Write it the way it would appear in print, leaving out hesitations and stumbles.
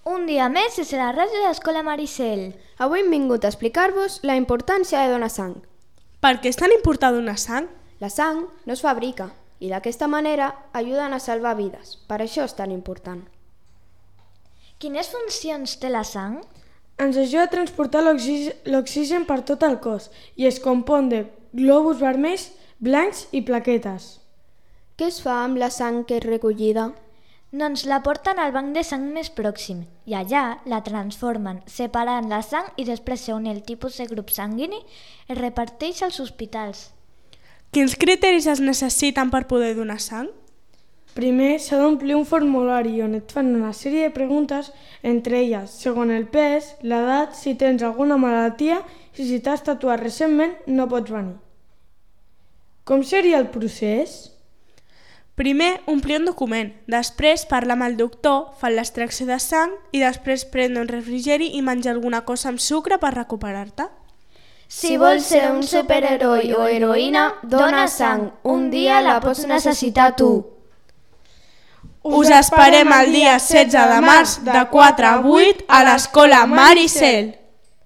Un dia més és a la ràdio d'Escola Maricel. Avui hem vingut a explicar-vos la importància de donar sang. Per què és tan important donar sang? La sang no es fabrica i d'aquesta manera ajuden a salvar vides. Per això és tan important. Quines funcions té la sang? Ens ajuda a transportar l'oxigen per tot el cos i es compon de glòbuls vermells, blancs i plaquetes. Què es fa amb la sang que és recollida? Doncs la porten al banc de sang més pròxim i allà la transformen, separant la sang i després segons el tipus de grup sanguini es reparteix als hospitals. Quins criteris es necessiten per poder donar sang? Primer s'ha d'omplir un formulari on et fan una sèrie de preguntes, entre elles, segons el pes, l'edat, si tens alguna malaltia i si t'has tatuat recentment no pots venir. Com seria el procés? Primer, omplir un document, després parlar amb el doctor, fan l'extracció de sang i després prendre un refrigeri i menjar alguna cosa amb sucre per recuperar-te. Si vols ser un superheroi o heroïna, dona sang. Un dia la pots necessitar tu. Us esperem el dia 16 de març de 4 a 8 a l'Escola Maricel.